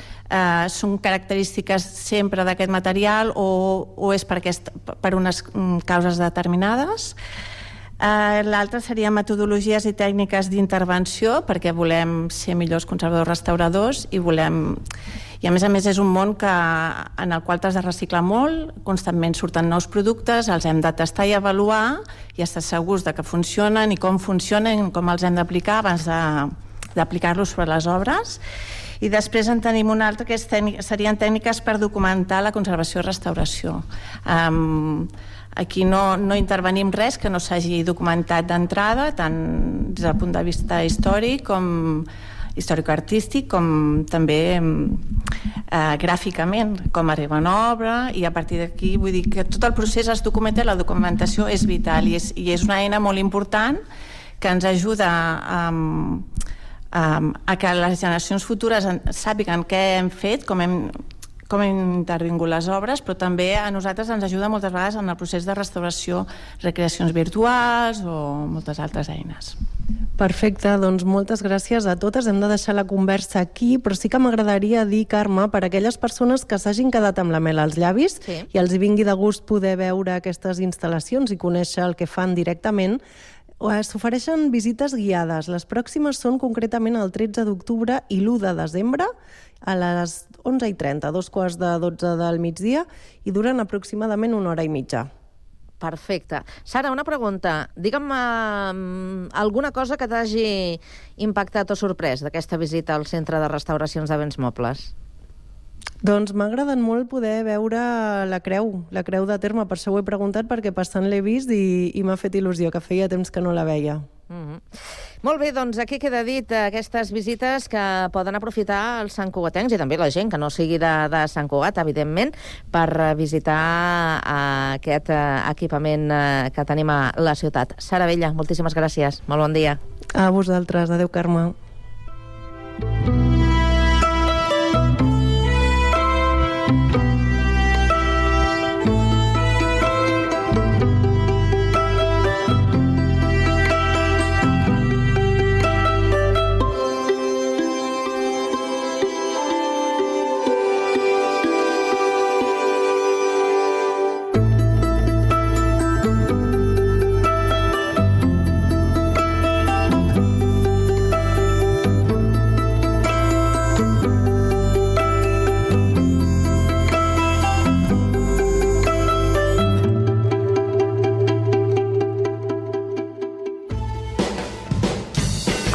són característiques sempre d'aquest material o és per unes causes determinades. L'altre seria metodologies i tècniques d'intervenció, perquè volem ser millors conservadors restauradors i a més és un món en el qual t'has de reciclar molt, constantment surten nous productes, els hem de tastar i avaluar i estar segurs de que funcionen i com funcionen, com els hem d'aplicar abans d'aplicar-los sobre les obres. I després en tenim un altre que serien tècniques per documentar la conservació i restauració. Aquí no intervenim res que no s'hagi documentat d'entrada, tant des del punt de vista històric com històrico-artístic, com també gràficament, com arriba una obra, i a partir d'aquí vull dir que tot el procés es documenta, la documentació és vital i és una eina molt important que ens ajuda a que les generacions futures sàpiguen què hem fet, com hem intervingut les obres, però també a nosaltres ens ajuda moltes vegades en el procés de restauració, recreacions virtuals o moltes altres eines. Perfecte, doncs moltes gràcies a totes. Hem de deixar la conversa aquí, però sí que m'agradaria dir, Carme, per a aquelles persones que s'hagin quedat amb la mel als llavis i els vingui de gust poder veure aquestes instal·lacions i conèixer el que fan directament, s'ofereixen visites guiades. Les pròximes són concretament el 13 d'octubre i l'1 de desembre a les 11:30, 11:45 del migdia, i duren aproximadament 1 hora i mitja. Perfecte. Sara, una pregunta. Digue'm alguna cosa que t'hagi impactat o sorprès d'aquesta visita al Centre de Restauracions de Béns Mobles. Doncs m'ha agradat molt poder veure la creu de terme. Per això ho he preguntat, perquè passant l'he vist i m'ha fet il·lusió, que feia temps que no la veia. Molt bé, doncs aquí queda dit aquestes visites que poden aprofitar els santcugatencs i també la gent que no sigui de Sant Cugat, evidentment, per visitar aquest equipament que tenim a la ciutat. Sara Vella, moltíssimes gràcies. Molt bon dia. A vosaltres. Adéu, Carme.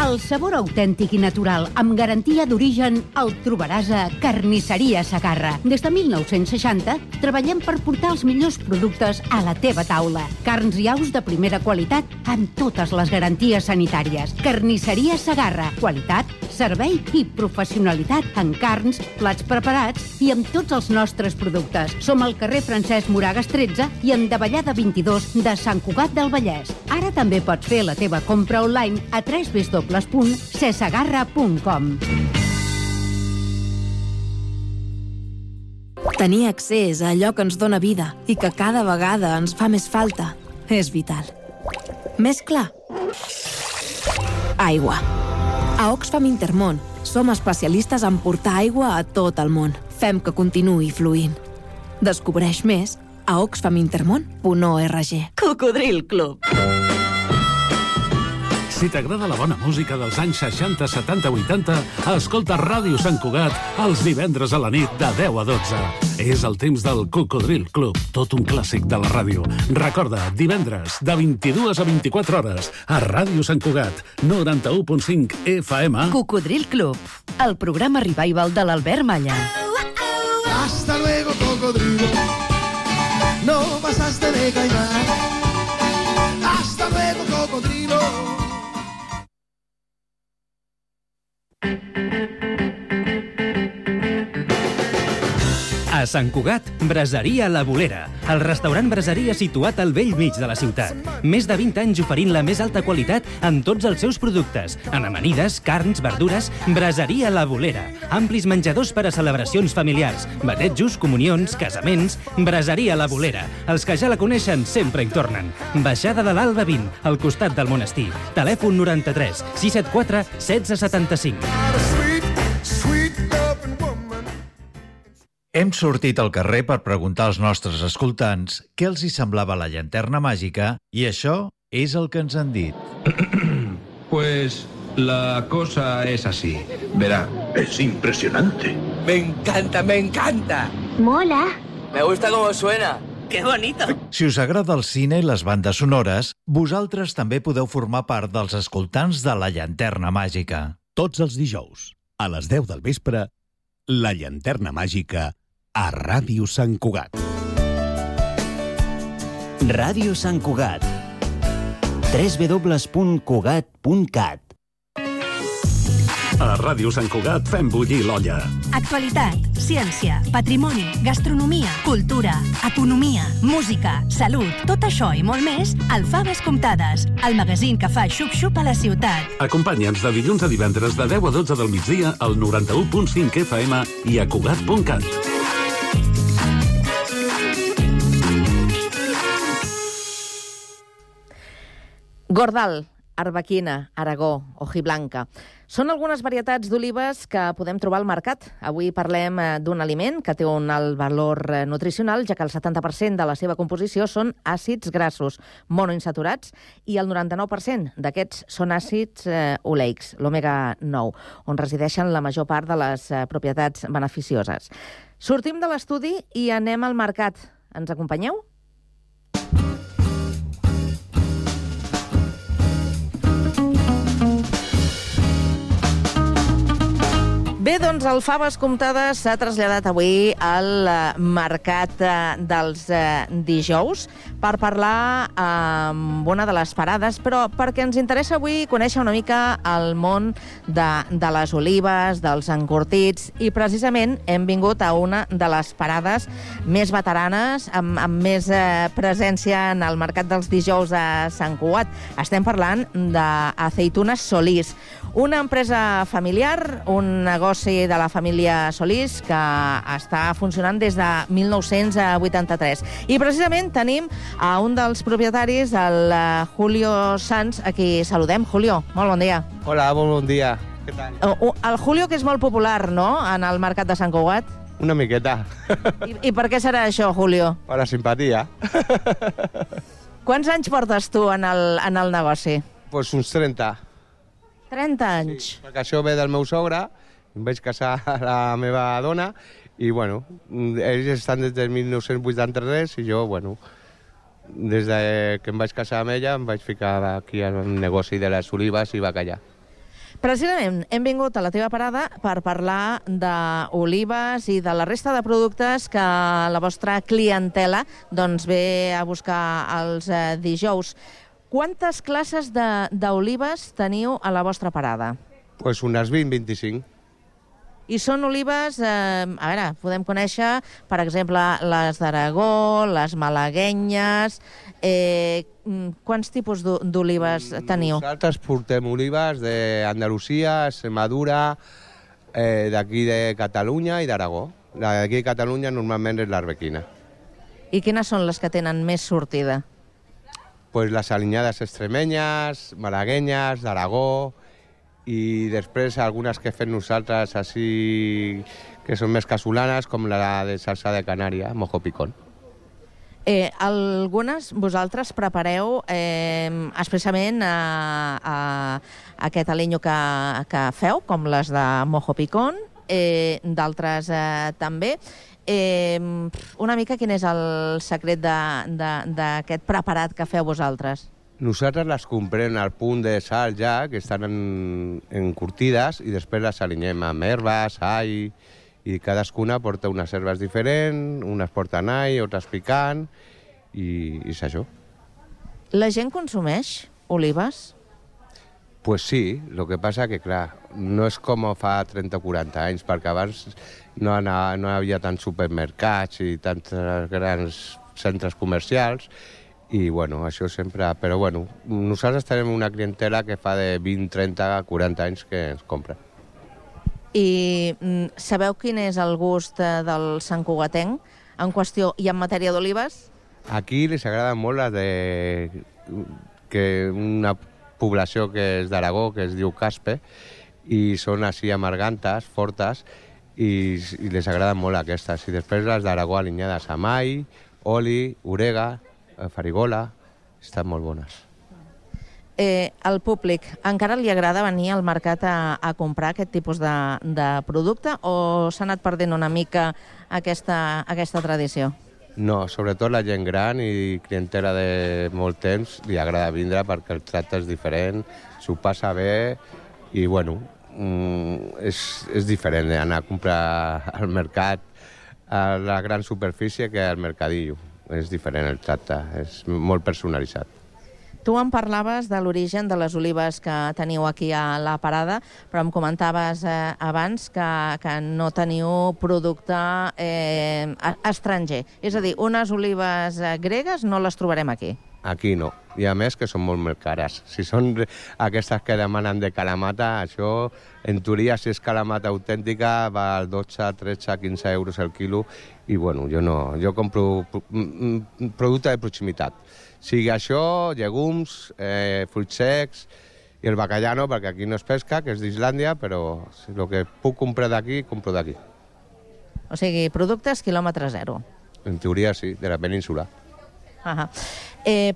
El sabor autèntic i natural, amb garantia d'origen, el trobaràs a Carnisseria Segarra. Des de 1960 treballem per portar els millors productes a la teva taula. Carns i aus de primera qualitat amb totes les garanties sanitàries. Carnisseria Segarra. Qualitat, servei i professionalitat en carns, plats preparats i amb tots els nostres productes. Som al carrer Francesc Moragas 13 i en Davallada 22 de Sant Cugat del Vallès. Ara també pots fer la teva compra online a www.cesegarra.com. Tenir accés a allò que ens dóna vida i que cada vegada ens fa més falta és vital. Més clar? Aigua. A Oxfam Intermón som especialistes en portar aigua a tot el món. Fem que continuï fluint. Descobreix més a oxfamintermon.org. Cocodril Club. Si t'agrada la bona música dels anys 60, 70, 80, escolta Ràdio Sant Cugat els divendres a la nit de 10 a 12. És el temps del Cocodril Club, tot un clàssic de la ràdio. Recorda, divendres, de 22 a 24 hores, a Ràdio Sant Cugat, 91.5 FM. Cocodril Club, el programa revival de l'Albert Malla. Hasta luego, cocodrilo. No pasaste de caimán. Hasta luego, cocodrilo. A Sant Cugat, Braseria La Bolera, el restaurant braseria situat al vell mig de la ciutat. Més de 20 anys oferint la més alta qualitat en tots els seus productes. En amanides, carns, verdures, Braseria La Bolera. Amplis menjadors per a celebracions familiars, batejos, comunions, casaments. Braseria La Bolera. Els que ja la coneixen sempre hi tornen. Baixada de l'Alba 20, al costat del monestir. Telèfon 93 674 1675. Hem sortit al carrer per preguntar als nostres escoltants què els hi semblava la llanterna màgica i això és el que ens han dit. Pues la cosa es así. Verá, es impresionante. Me encanta, me encanta. Mola. Me gusta cómo suena. ¡Qué bonito! Si us agrada el cine i les bandes sonores, vosaltres també podeu formar part dels escoltants de la llanterna màgica. Tots els dijous, a les 10 del vespre, la llanterna màgica a Ràdio Sant Cugat. Ràdio Sant Cugat. www.cugat.cat. A Ràdio Sant Cugat fem bullir l'olla. Actualitat, ciència, patrimoni, gastronomia, cultura, economia, música, salut, tot això i molt més al Faves Comptades, el magazín que fa xup-xup a la ciutat. Acompanya'ns de dilluns a divendres de 10 a 12 del migdia al 91.5 FM i a Cugat.cat. Gordal, arbequina, aragó, hojiblanca. Són algunes varietats d'olives que podem trobar al mercat. Avui parlem d'un aliment que té un alt valor nutricional, ja que el 70% de la seva composició són àcids grassos monoinsaturats i el 99% d'aquests són àcids oleics, l'omega 9, on resideixen la major part de les propietats beneficioses. Sortim de l'estudi i anem al mercat. Ens acompanyeu? Bé, doncs el Faves Comptades s'ha traslladat avui al mercat dels dijous per parlar amb una de les parades, però perquè ens interessa avui conèixer una mica el món de les olives, dels encurtits, i precisament hem vingut a una de les parades més veteranes, amb més presència en el mercat dels dijous a Sant Cugat. Estem parlant d'Aceitunes Solís, una empresa familiar, un negoci de la família Solís que està funcionant des de 1983. I precisament tenim a un dels propietaris, el Julio Sanz, a qui saludem. Julio, molt bon dia. Hola, molt bon dia. Què tal? El Julio, que és molt popular, no?, en el mercat de Sant Cugat. Una miqueta. I per què serà això, Julio? Per la simpatia. Quants anys portes tu en el negoci? Pues uns 30. 30 anys. Sí, perquè això ve del meu sogre, em vaig casar a la meva dona i, bueno, ells estan des del 1983 i jo, bueno, des que em vaig casar amb ella em vaig ficar aquí al negoci de les olives i bacallà. Precisament hem vingut a la teva parada per parlar d'olives i de la resta de productes que la vostra clientela doncs ve a buscar els dijous. Quantes classes d'olives teniu a la vostra parada? Pues unes 20-25. I són olives, a veure, podem conèixer, per exemple, les d'Aragó, les malaguenyes. Quants tipus d'olives teniu? Nosaltres portem olives d'Andalusia, Extremadura, d'aquí de Catalunya i d'Aragó. D'aquí de Catalunya normalment és l'arbequina. I quines són les que tenen més sortida? Pues les alinyades extremenyes, malaguenyes, d'Aragó, i després algunes que fem nosaltres així, que són més casolanes, com la de salsa de Canària, mojo picón. Algunes vosaltres prepareu expressament aquest alinyo que feu, com les de mojo picón, d'altres també. Una mica quin és el secret d'aquest preparat que feu vosaltres? Nosaltres les comprem al punt de sal ja, que estan encurtides, i després les alinyem amb herbes, all, i cadascuna porta unes herbes diferents, unes porten all, altres picant, i és això. La gent consumeix olives? Pues sí, el que passa que, clar, no és com fa 30 o 40 anys, perquè abans no hi havia tants supermercats i tants grans centres comercials, i, bueno, això sempre... Però, bueno, nosaltres tenim una clientela que fa de 20, 30, 40 anys que ens compra. I sabeu quin és el gust del santcugatenc en qüestió i en matèria d'olives? Aquí les agrada molt la de... que una població que és d'Aragó, que es diu Caspe, i són així amargantes, fortes, i les agraden molt aquestes. I després les d'Aragó alineades amb all, oli, orega, farigola, estan molt bones. Al públic encara li agrada venir al mercat a comprar aquest tipus de producte o s'ha anat perdent una mica aquesta tradició? No, sobretot la gent gran i clientela de molt temps li agrada vindre perquè el tracte és diferent, s'ho passa bé i, bueno, és diferent anar a comprar al mercat a la gran superfície que al mercadillo. És diferent el tracte, és molt personalitzat. Tu em parlaves de l'origen de les olives que teniu aquí a la parada, però em comentaves abans que no teniu producte estranger. És a dir, unes olives gregues no les trobarem aquí. Aquí no. I a més que són molt més cares. Si són aquestes que demanen de calamata, això, en teoria, si és calamata autèntica, va als 12, 13, 15 euros el quilo. I, bueno, jo compro producte de proximitat. Sigui això, llegums, fruits secs i el bacallà no, perquè aquí no es pesca, que és d'Islàndia, però el que puc comprar d'aquí, compro d'aquí. O sigui, productes quilòmetre zero. En teoria sí, de la península.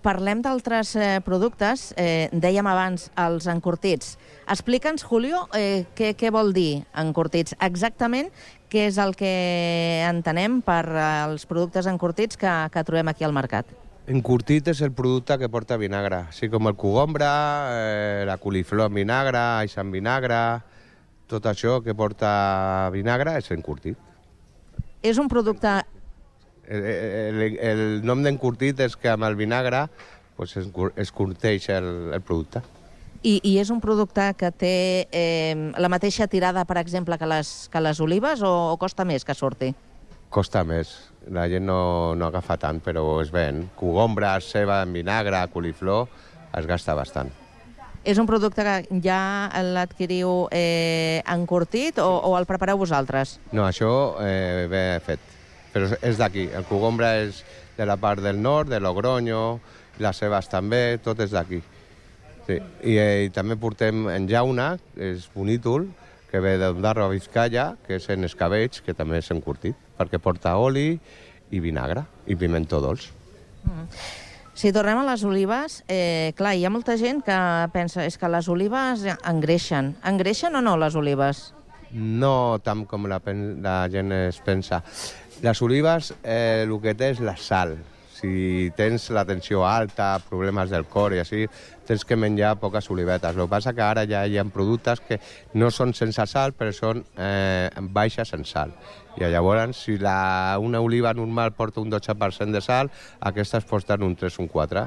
Parlem d'altres productes. Dèiem abans els encurtits. Explica'ns, Julio, què vol dir encurtits? Exactament què és el que entenem per els productes encurtits que trobem aquí al mercat? Encurtit és el producte que porta vinagre, així com el cogombre, la coliflor en vinagre, alls en vinagre, tot això que porta vinagre és encurtit. És un producte... El nom d'encurtit és que amb el vinagre es curteix el producte. I és un producte que té la mateixa tirada, per exemple, que les olives o costa més que surti? Costa més. La gent no agafa tant, però es ven. Cogombre, ceba en vinagre, coliflor, es gasta bastant. És un producte que ja l'adquiriu encurtit o el prepareu vosaltres? No, això ve fet. Però és d'aquí. El cogombre és de la part del nord, de Logroño, les cebes també, tot és d'aquí. Sí. I també portem en llauna, que és bonítol, que ve d'Ondarro a Vizcaya, que és en escabeig, que també és encurtit, perquè porta oli i vinagre i pimentó dolç. Si tornem a les olives, clar, hi ha molta gent que pensa és que les olives engreixen. Engreixen o no, les olives? No tant com la gent es pensa. Les olives, el que té és la sal. Si tens la tensió alta, problemes del cor i així, tens que menjar poques olivetes. El que passa que ara ja hi ha productes que no són sense sal, però són baixes en sal. I llavors, si una oliva normal porta un 12% de sal, aquestes porten un 3 o un 4.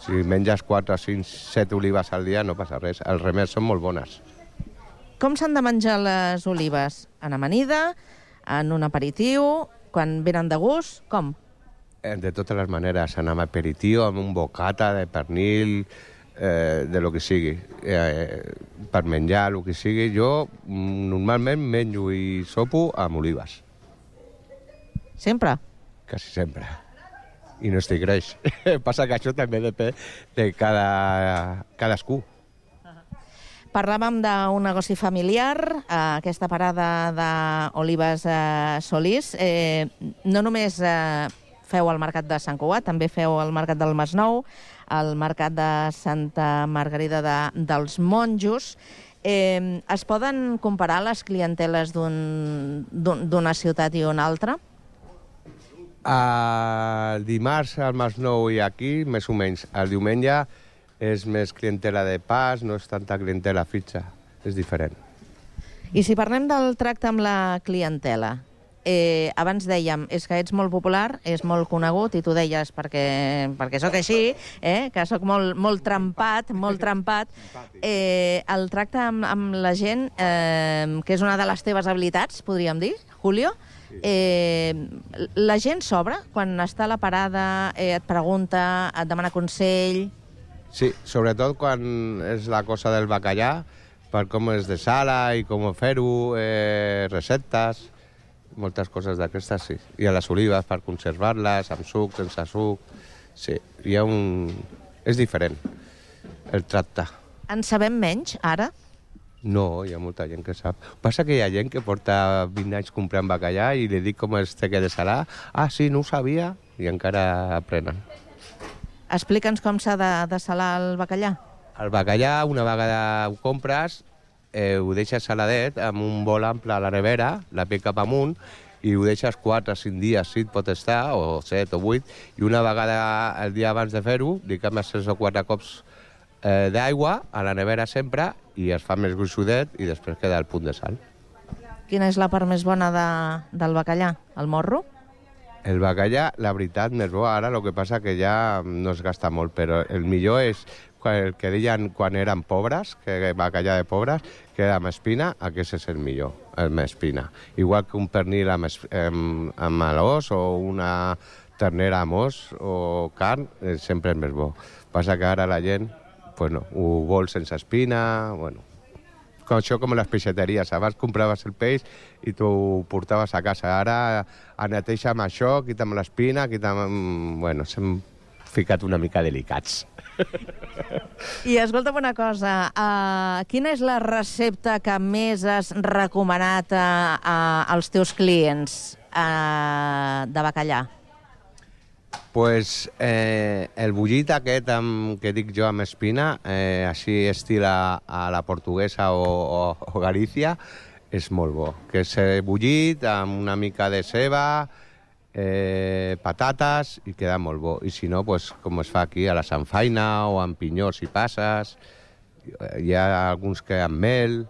Si menges 4, 5, 7 olives al dia no passa res. Els remeis són molt bones. Com s'han de menjar les olives? En amanida, en un aperitiu, quan venen de gust, com? De totes les maneres, anar amb aperitiu, amb un bocata de pernil, de lo que sigui. Per menjar, el que sigui, jo normalment menjo i sopo amb olives. Sempre? Quasi sempre. I no estic greix. Passa que això també depèn de cadascú. Parlàvem d'un negoci familiar, aquesta parada d'Olives Solís. No només feu el mercat de Sant Cugat, també feu el mercat del Masnou, el mercat de Santa Margarida dels Monjos. Es poden comparar les clienteles d'una ciutat i una altra? El dimarts al Masnou i aquí, més o menys. El diumenge és més clientela de pas, no és tanta clientela fitxa, és diferent. I si parlem del tracte amb la clientela, abans dèiem, és que ets molt popular, és molt conegut, i tu deies, perquè sóc així, que sóc molt trempat, el tracte amb la gent, que és una de les teves habilitats, podríem dir, Julio, la gent s'obre quan està a la parada, et pregunta, et demana consell... Sí, sobretot quan és la cosa del bacallà, per com és de sala i com fer-ho, receptes, moltes coses d'aquestes, sí. I a les olives per conservar-les, amb suc, sense suc... Sí, hi ha és diferent, el tracte. En sabem menys, ara? No, hi ha molta gent que sap. Passa que hi ha gent que porta 20 anys comprant bacallà i li dic com es té que de salar. Ah, sí, no ho sabia, i encara aprenen. Explica'ns com s'ha de salar el bacallà. El bacallà, una vegada ho compres, ho deixes saladet amb un bol ample a la nevera, la pell cap amunt, i ho deixes 4 o 5 dies, si et pot estar, o 7 o 8, i una vegada el dia abans de fer-ho, li canvies 3 o 4 cops d'aigua a la nevera sempre, i es fa més gruixudet i després queda al punt de sal. Quina és la part més bona del bacallà? El morro? El bacallà, la veritat, més bo ara, el que passa que ja no es gasta molt, però el millor és el que deien quan eren pobres, que bacallà de pobres, que era amb espina, aquest és el millor, amb espina. Igual que un pernil amb l'os o una ternera amb os o carn, sempre és més bo. Passa que ara la gent ho vol sense espina, això com les peixateries. Abans compraves el peix i tu ho portaves a casa. Ara neteja amb això, quita'm l'espina, s'hem ficat una mica delicats. I escolta'm una cosa, quina és la recepta que més has recomanat als teus clients de bacallà? Pues el bullit aquest que dic jo amb espina, així estil a la portuguesa o Galícia, és molt bo. Que és bullit amb una mica de ceba, patates, i queda molt bo. I si no, com es fa aquí, a la sanfaina o amb pinyons i passes. Hi ha alguns que amb mel.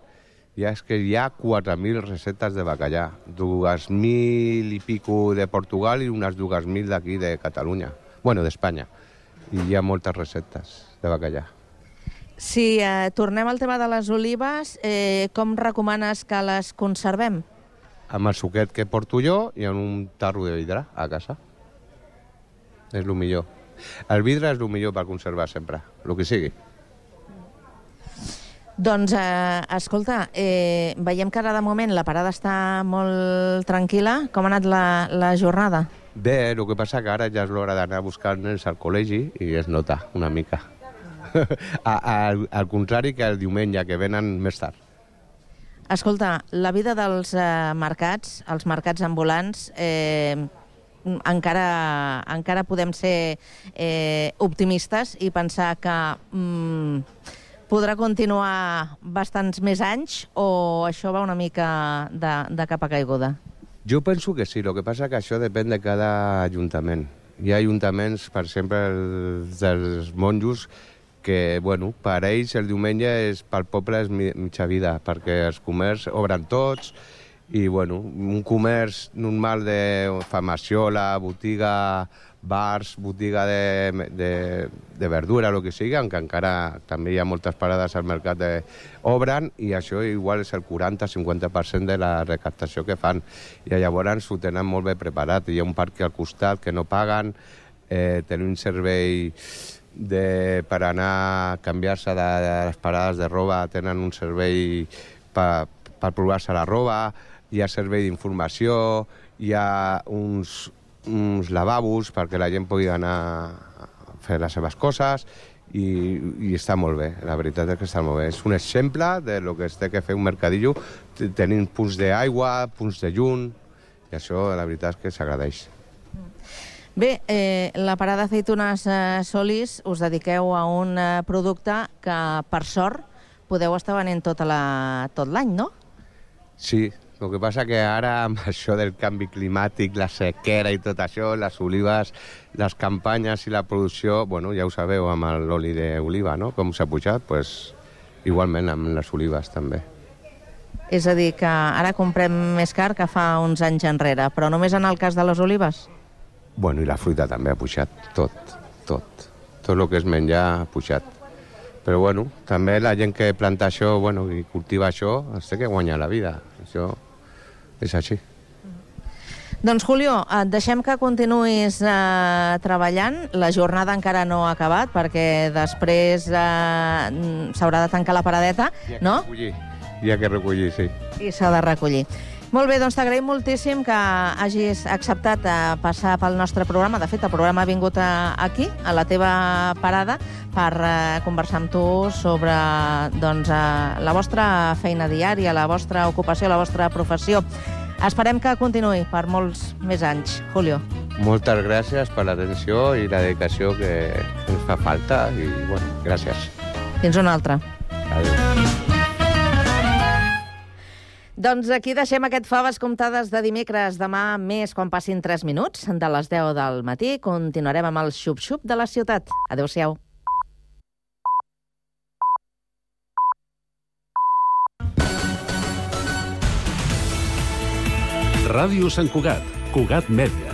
És que hi ha 4.000 receptes de bacallà, 2.000 i pico de Portugal i unes 2.000 d'aquí de Catalunya, d'Espanya. I hi ha moltes receptes de bacallà. Si tornem al tema de les olives, com recomanes que les conservem? Amb el suquet que porto jo i en un tarro de vidre a casa. És el millor. El vidre és el millor per conservar sempre, el que sigui. Doncs, escolta, veiem que ara de moment la parada està molt tranquil·la. Com ha anat la jornada? Bé, el que passa que ara ja és l'hora d'anar a buscar nens al col·legi i es nota una mica. Al contrari que el diumenge, que venen més tard. Escolta, la vida dels mercats, els mercats ambulants, encara podem ser optimistes i pensar que podrà continuar bastants més anys, o això va una mica de capa caiguda? Jo penso que sí, el que passa que això depèn de cada ajuntament. Hi ha ajuntaments, per exemple, dels monjos, que, per ells el diumenge pel poble és mitja vida, perquè els comerços obren tots, i, un comerç normal de farmaciola, botiga, bars, botiga de verdura, el que sigui, que encara també hi ha moltes parades al mercat obren, i això igual és el 40-50% de la recaptació que fan. I llavors ho tenen molt bé preparat. Hi ha un parc al costat que no paguen, tenen un servei per anar a canviar-se de les parades de roba, tenen un servei per provar-se la roba, hi ha servei d'informació, hi ha uns lavabos perquè la gent pugui anar a fer les seves coses, i està molt bé, la veritat és que està molt bé. És un exemple del que es té que fer un mercadillo, tenint punts d'aigua, punts de llum, i això la veritat és que s'agradeix. Bé, la parada Aceitunes Solís us dediqueu a un producte que, per sort, podeu estar venent tot l'any, no? Sí, el que passa que ara, amb això del canvi climàtic, la sequera i tot això, les olives, les campanyes i la producció, ja ho sabeu, amb l'oli d'oliva, no? Com s'ha pujat, igualment amb les olives també. És a dir, que ara comprem més car que fa uns anys enrere, però només en el cas de les olives? Bueno, i la fruita també ha pujat, tot. Tot el que és menjar ha pujat. Però bueno, també la gent que planta això, bueno, i cultiva això, es té que guanyar la vida. Això és així. Doncs, Julio, et deixem que continuïs treballant. La jornada encara no ha acabat, perquè després s'haurà de tancar la paradeta, no? Hi ha que recollir, sí. I s'ha de recollir. Molt bé, doncs t'agraïm moltíssim que hagis acceptat passar pel nostre programa. De fet, el programa ha vingut aquí, a la teva parada, per conversar amb tu sobre la vostra feina diària, la vostra ocupació, la vostra professió. Esperem que continuï per molts més anys, Julio. Moltes gràcies per l'atenció i la dedicació que ens fa falta i, bueno, gràcies. Fins una altra. Adéu. Doncs aquí deixem aquest Faves comptades de dimecres. Demà més, quan passin 3 minuts, de les 10 del matí, continuarem amb el xup-xup de la ciutat. Adéu-siau. Ràdio Sant Cugat, Cugat Mèdia.